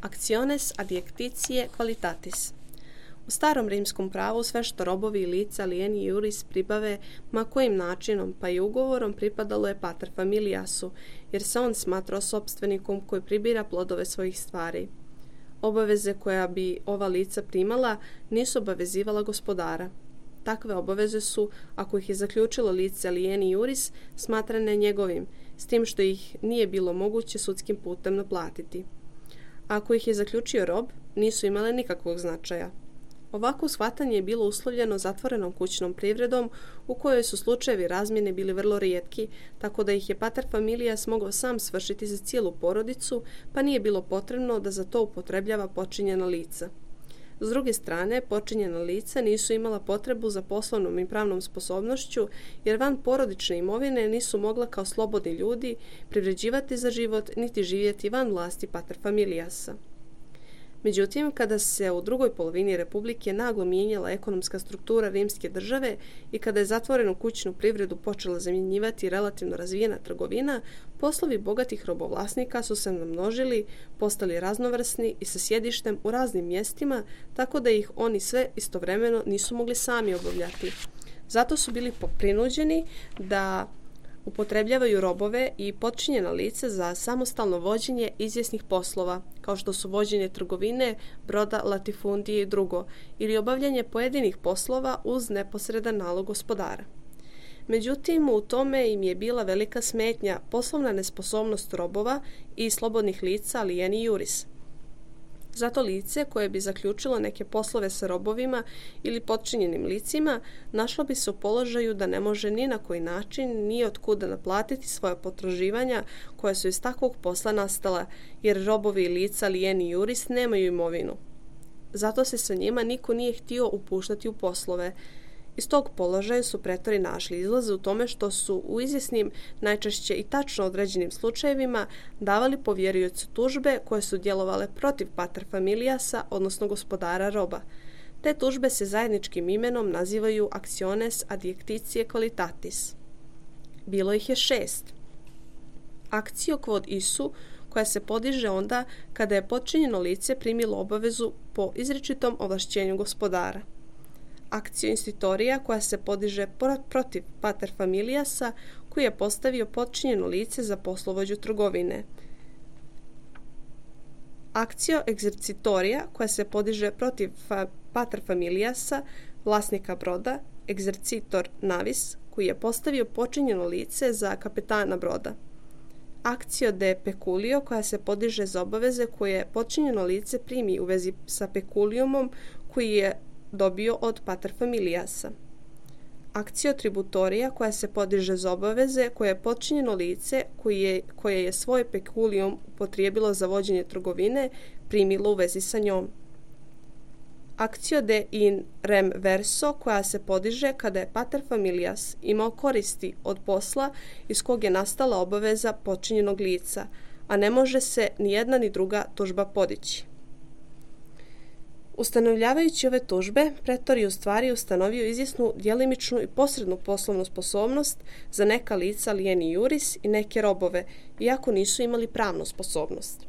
Actiones adiactitie qualitatis. U starom rimskom pravu sve što robovi i lica alieni iuris pribave ma kojim načinom pa i ugovorom pripadalo je pater familiasu, jer se on smatrao sopstvenikom koji pribira plodove svojih stvari. Obaveze koja bi ova lica primala nisu obavezivala gospodara. Takve obaveze su, ako ih je zaključilo lice alieni iuris, smatrane njegovim, s tim što ih nije bilo moguće sudskim putem naplatiti. Ako ih je zaključio rob, nisu imale nikakvog značaja. Ovako shvatanje je bilo uslovljeno zatvorenom kućnom privredom u kojoj su slučajevi razmjene bili vrlo rijetki, tako da ih je pater familias mogao sam svršiti za cijelu porodicu, pa nije bilo potrebno da za to upotrebljava počinjena lica. S druge strane, počinjena lica nisu imala potrebu za poslovnom i pravnom sposobnošću, jer van porodične imovine nisu mogla kao slobodni ljudi privređivati za život niti živjeti van vlasti pater familiasa. Međutim, kada se u drugoj polovini Republike naglo mijenjala ekonomska struktura rimske države i kada je zatvorenu kućnu privredu počela zamjenjivati relativno razvijena trgovina, poslovi bogatih robovlasnika su se namnožili, postali raznovrsni i sa sjedištem u raznim mjestima, tako da ih oni sve istovremeno nisu mogli sami obavljati. Zato su bili prinuđeni da upotrebljavaju robove i potčinjena lica za samostalno vođenje izvjesnih poslova, kao što su vođenje trgovine, broda, latifundije i drugo, ili obavljanje pojedinih poslova uz neposredan nalog gospodara. Međutim, u tome im je bila velika smetnja poslovna nesposobnost robova i slobodnih lica alieni iuris. Zato lice koje bi zaključilo neke poslove sa robovima ili potčinjenim licima našlo bi se u položaju da ne može ni na koji način ni od kuda naplatiti svoja potraživanja koja su iz takvog posla nastala, jer robovi i lica alieni iuris nemaju imovinu. Zato se sa njima niko nije htio upuštati u poslove. Iz tog položaja su pretori našli izlaze u tome što su u izvjesnim, najčešće i tačno određenim slučajevima davali povjeriocu tužbe koje su djelovale protiv pater familiasa, odnosno gospodara roba. Te tužbe se zajedničkim imenom nazivaju actiones adiactitie qualitatis. Bilo ih je 6. Actio quod isu, koja se podiže onda kada je potčinjeno lice primilo obavezu po izričitom ovlašćenju gospodara. Actio institutoria, koja se podiže protiv pater familiasa koji je postavio potčinjeno lice za poslovođu trgovine. Actio exercitoria, koja se podiže protiv pater familiasa, vlasnika broda, exercitor navis, koji je postavio počinjeno lice za kapetana broda. Actio de peculio, koja se podiže za obaveze koje počinjeno lice primi u vezi sa peculiumom koji je dobio od pater familiasa. Actio tributoria, koja se podiže za obaveze koje je potčinjeno lice koje je svoj peculium upotrijebilo za vođenje trgovine primilo u vezi sa njom. Actio de in rem verso, koja se podiže kada je pater familias imao koristi od posla iz kog je nastala obaveza potčinjenog lica, a ne može se ni jedna ni druga tužba podići. Ustanovljavajući ove tužbe, pretor je u stvari ustanovio izvjesnu djelimičnu i posrednu poslovnu sposobnost za neka lica alieni iuris i neke robove, iako nisu imali pravnu sposobnost.